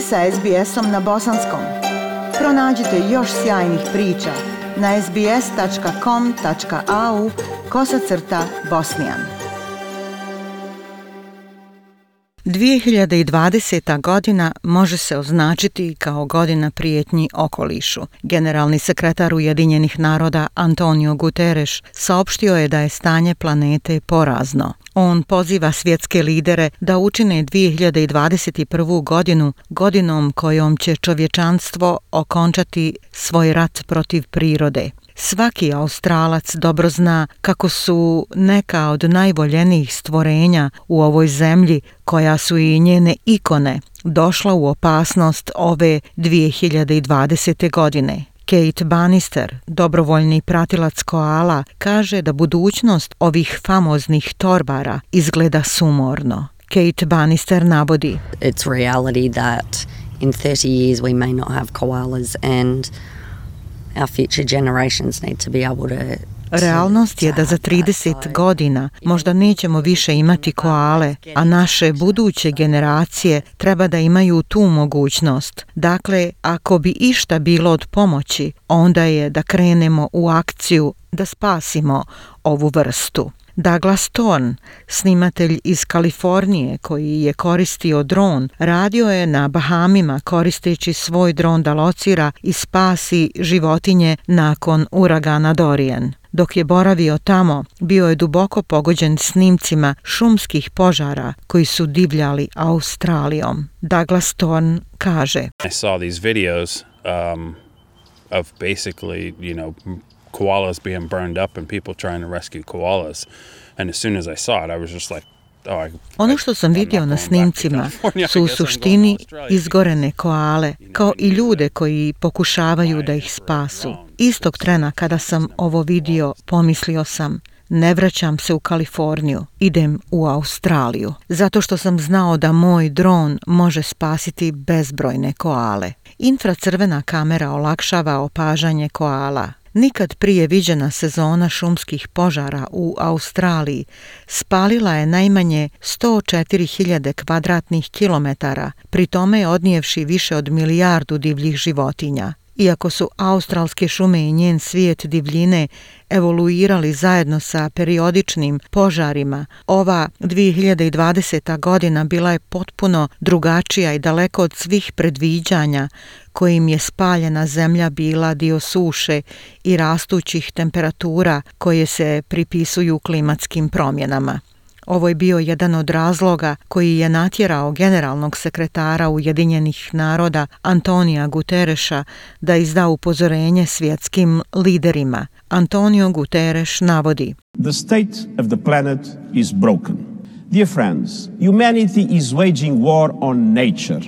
ste sa SBS-om na bosanskom. Pronađite još sjajnih priča na sbs.com.au/bosnijan. 2020. godina može se označiti kao godina prijetnji okolišu. Generalni sekretar Ujedinjenih naroda Antonio Guterres saopštio je da je stanje planete porazno. On poziva svjetske lidere da učine 2021. godinu godinom kojom će čovječanstvo okončati svoj rat protiv prirode. Svaki Australac dobro zna kako su neka od najvoljenijih stvorenja u ovoj zemlji, koja su i njene ikone, došla u opasnost ove 2020. godine. Kate Bannister, dobrovoljni pratilac koala, kaže da budućnost ovih famoznih torbara izgleda sumorno. Kate Bannister navodi: It's reality that in 30 years we may not have koalas and our future generations need to be able to. Realnost je da za 30 godina možda nećemo više imati koale, a naše buduće generacije treba da imaju tu mogućnost. Dakle, ako bi išta bilo od pomoći, onda je da krenemo u akciju da spasimo ovu vrstu. Douglas Thorne, snimatelj iz Kalifornije koji je koristio dron, radio je na Bahamima koristeći svoj dron da locira i spasi životinje nakon uragana Dorian. Dok je boravio tamo, bio je duboko pogođen snimcima šumskih požara koji su divljali Australijom. Douglas Thorne kaže: I saw these videos of basically, koalas being burned up and people trying to rescue koalas. And as soon as I saw it, I was just like, ono što sam vidio na snimcima su u suštini izgorene koale, kao i ljude koji pokušavaju da ih spasu. Istog trena kada sam ovo vidio, pomislio sam: ne vraćam se u Kaliforniju, idem u Australiju, zato što sam znao da moj dron može spasiti bezbrojne koale. Infracrvena kamera olakšava opažanje koala. Nikad prije viđena sezona šumskih požara u Australiji spalila je najmanje 104.000 kvadratnih kilometara, pri tome odnijevši više od 1 milijardu divljih životinja. Iako su australske šume i njen svijet divljine evoluirali zajedno sa periodičnim požarima, ova 2020. godina bila je potpuno drugačija i daleko od svih predviđanja kojim je spaljena zemlja bila dio suše i rastućih temperatura koje se pripisuju klimatskim promjenama. Ovo je bio jedan od razloga koji je natjerao generalnog sekretara Ujedinjenih naroda Antonija Guterresa da izda upozorenje svjetskim liderima. Antonio Guterres navodi: The state of the planet is broken. Dear friends, humanity is waging war on nature.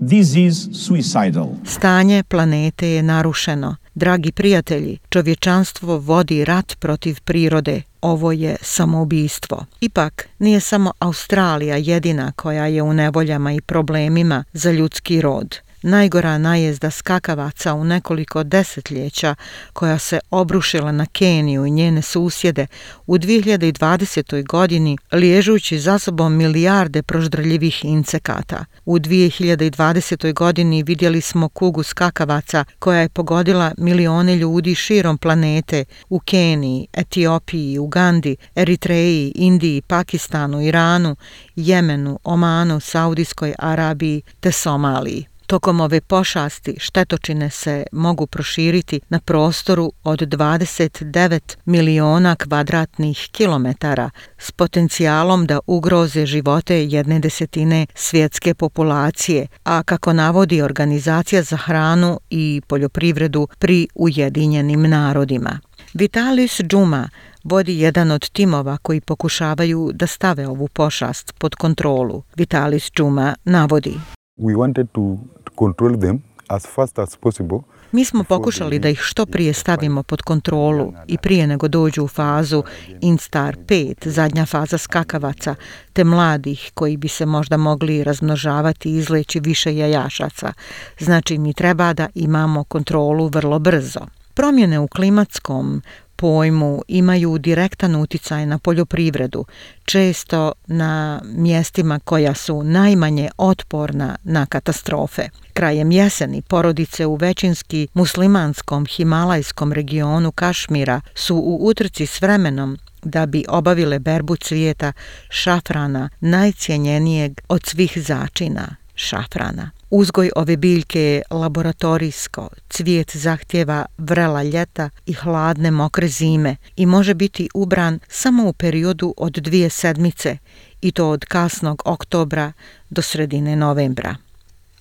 This is suicidal. Stanje planete je narušeno. Dragi prijatelji, čovječanstvo vodi rat protiv prirode. Ovo je samoubistvo. Ipak, nije samo Australija jedina koja je u nevoljama i problemima za ljudski rod. Najgora najezda skakavaca u nekoliko desetljeća, koja se obrušila na Keniju i njene susjede u 2020. godini, liježući za sobom milijarde proždrljivih insekata. U 2020. godini vidjeli smo kugu skakavaca koja je pogodila milione ljudi širom planete u Keniji, Etiopiji, Ugandi, Eritreji, Indiji, Pakistanu, Iranu, Jemenu, Omanu, Saudijskoj Arabiji te Somaliji. Tokom ove pošasti štetočine se mogu proširiti na prostoru od 29 miliona kvadratnih kilometara s potencijalom da ugroze živote 1/10 svjetske populacije, a kako navodi Organizacija za hranu i poljoprivredu pri Ujedinjenim narodima. Vitalis Džuma vodi jedan od timova koji pokušavaju da stave ovu pošast pod kontrolu. Vitalis Džuma navodi: We wanted to control them as fast as possible. Mi smo pokušali da ih što prije stavimo pod kontrolu i prije nego dođu u fazu Instar 5, zadnja faza skakavaca, te mladih koji bi se možda mogli razmnožavati i izleći više jajašaca. Znači, mi treba da imamo kontrolu vrlo brzo. Promjene u klimatskom pojmu imaju direktan uticaj na poljoprivredu, često na mjestima koja su najmanje otporna na katastrofe. Krajem jeseni porodice u većinski muslimanskom himalajskom regionu Kašmira su u utrci s vremenom da bi obavile berbu cvijeta šafrana, najcjenjenijeg od svih začina šafrana. Uzgoj ove biljke je laboratorijsko, cvijet zahtjeva vrela ljeta i hladne mokre zime i može biti ubran samo u periodu od 2 sedmice i to od kasnog oktobra do sredine novembra.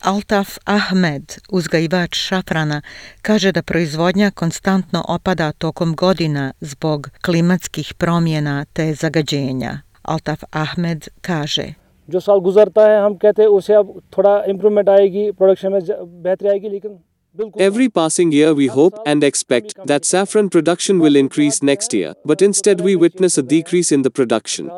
Altaf Ahmed, uzgajivač šafrana, kaže da proizvodnja konstantno opada tokom godina zbog klimatskih promjena te zagađenja. Altaf Ahmed kaže: जो साल गुजरता है हम कहते हैं उसे अब थोड़ा इम्प्रूवमेंट आएगी प्रोडक्शन में बेहतरी आएगी लेकिन Every passing year we hope and expect that saffron production will increase next year, but instead we witness a decrease in the production.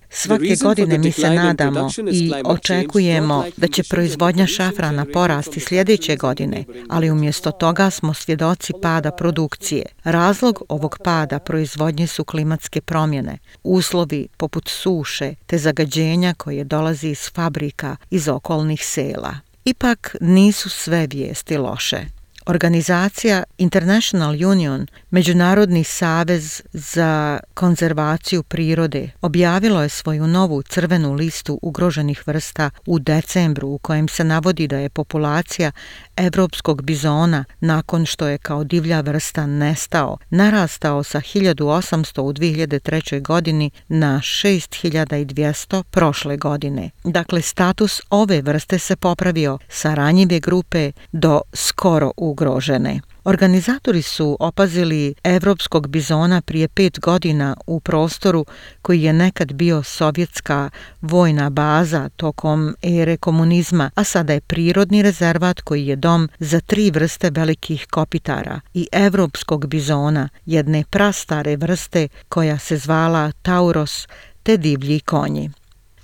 Svake godine mi se nadamo i očekujemo da će proizvodnja šafrana porasti sljedeće godine, ali umjesto toga smo svjedoci pada produkcije. Razlog ovog pada proizvodnje su klimatske promjene, uslovi poput suše te zagađenja koje dolazi iz fabrika iz okolnih sela. Ipak nisu sve vijesti loše. Organizacija International Union, Međunarodni savez za konzervaciju prirode, objavilo je svoju novu crvenu listu ugroženih vrsta u decembru u kojem se navodi da je populacija evropskog bizona nakon što je kao divlja vrsta nestao, narastao sa 1800 u 2003. godini na 6200 prošle godine. Dakle, status ove vrste se popravio sa ranjive grupe do skoro ugrožene. Organizatori su opazili evropskog bizona prije 5 godina u prostoru koji je nekad bio sovjetska vojna baza tokom ere komunizma, a sada je prirodni rezervat koji je dom za 3 vrste velikih kopitara i evropskog bizona, jedne prastare vrste koja se zvala Tauros te divlji konji.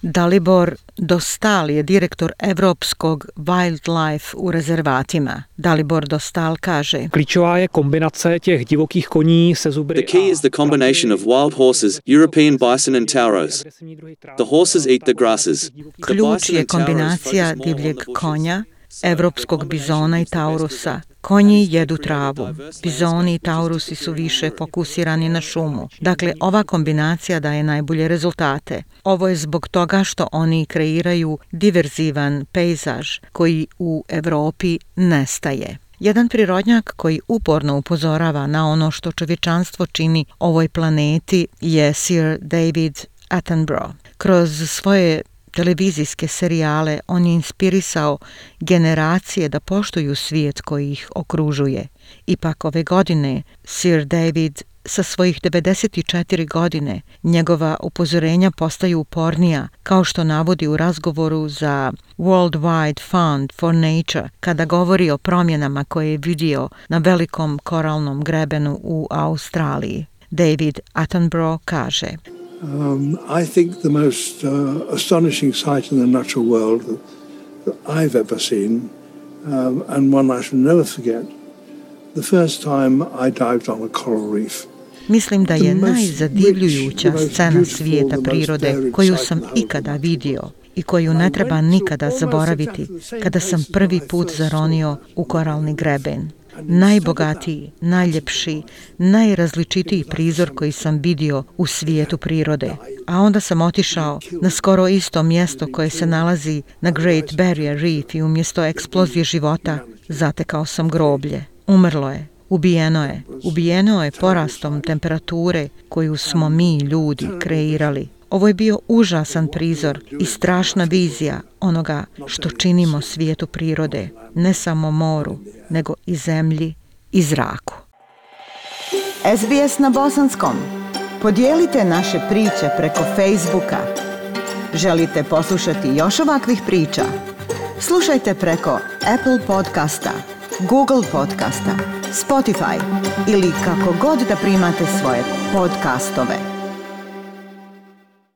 Dalibor Dostal je direktor Evropskog wildlife u rezervatima. Dalibor Dostal kaže: Klíčová je kombinace těch divokých koní se zubry. The key is the combination of wild horses, European bison and tauros. The horses eat the grasses. Ključ je kombinacija divljeg konja, evropskog bizona i taurusa. Konji jedu travu. Bizoni i taurusi su više fokusirani na šumu. Dakle, ova kombinacija daje najbolje rezultate. Ovo je zbog toga što oni kreiraju diverzivan pejzaž koji u Europi nestaje. Jedan prirodnjak koji uporno upozorava na ono što čovječanstvo čini ovoj planeti je Sir David Attenborough. Kroz svoje televizijske serijale on je inspirisao generacije da poštuju svijet koji ih okružuje. Ipak ove godine Sir David sa svojih 94 godine njegova upozorenja postaju upornija, kao što navodi u razgovoru za World Wide Fund for Nature kada govori o promjenama koje je vidio na velikom koralnom grebenu u Australiji. David Attenborough kaže: I think the most astonishing sight in the natural world that I've ever seen, and one I shall never forget, the first time I dived on a coral reef. Mislim da je najzadivljujuća scena svijeta prirode koju sam ikada vidio i koju ne treba nikada zaboraviti kada sam prvi put zaronio u koralni greben. Najbogatiji, najljepši, najrazličitiji prizor koji sam vidio u svijetu prirode. A onda sam otišao na skoro isto mjesto koje se nalazi na Great Barrier Reef i umjesto eksplozije života zatekao sam groblje. Umrlo je, ubijeno je porastom temperature koju smo mi ljudi kreirali. Ovo je bio užasan prizor i strašna vizija onoga što činimo svijetu prirode, ne samo moru, nego i zemlji i zraku. SBS na bosanskom. Podijelite naše priče preko Facebooka. Želite poslušati još ovakvih priča? Slušajte preko Apple podcasta, Google podcasta, Spotify ili kako god da primate svoje podcastove.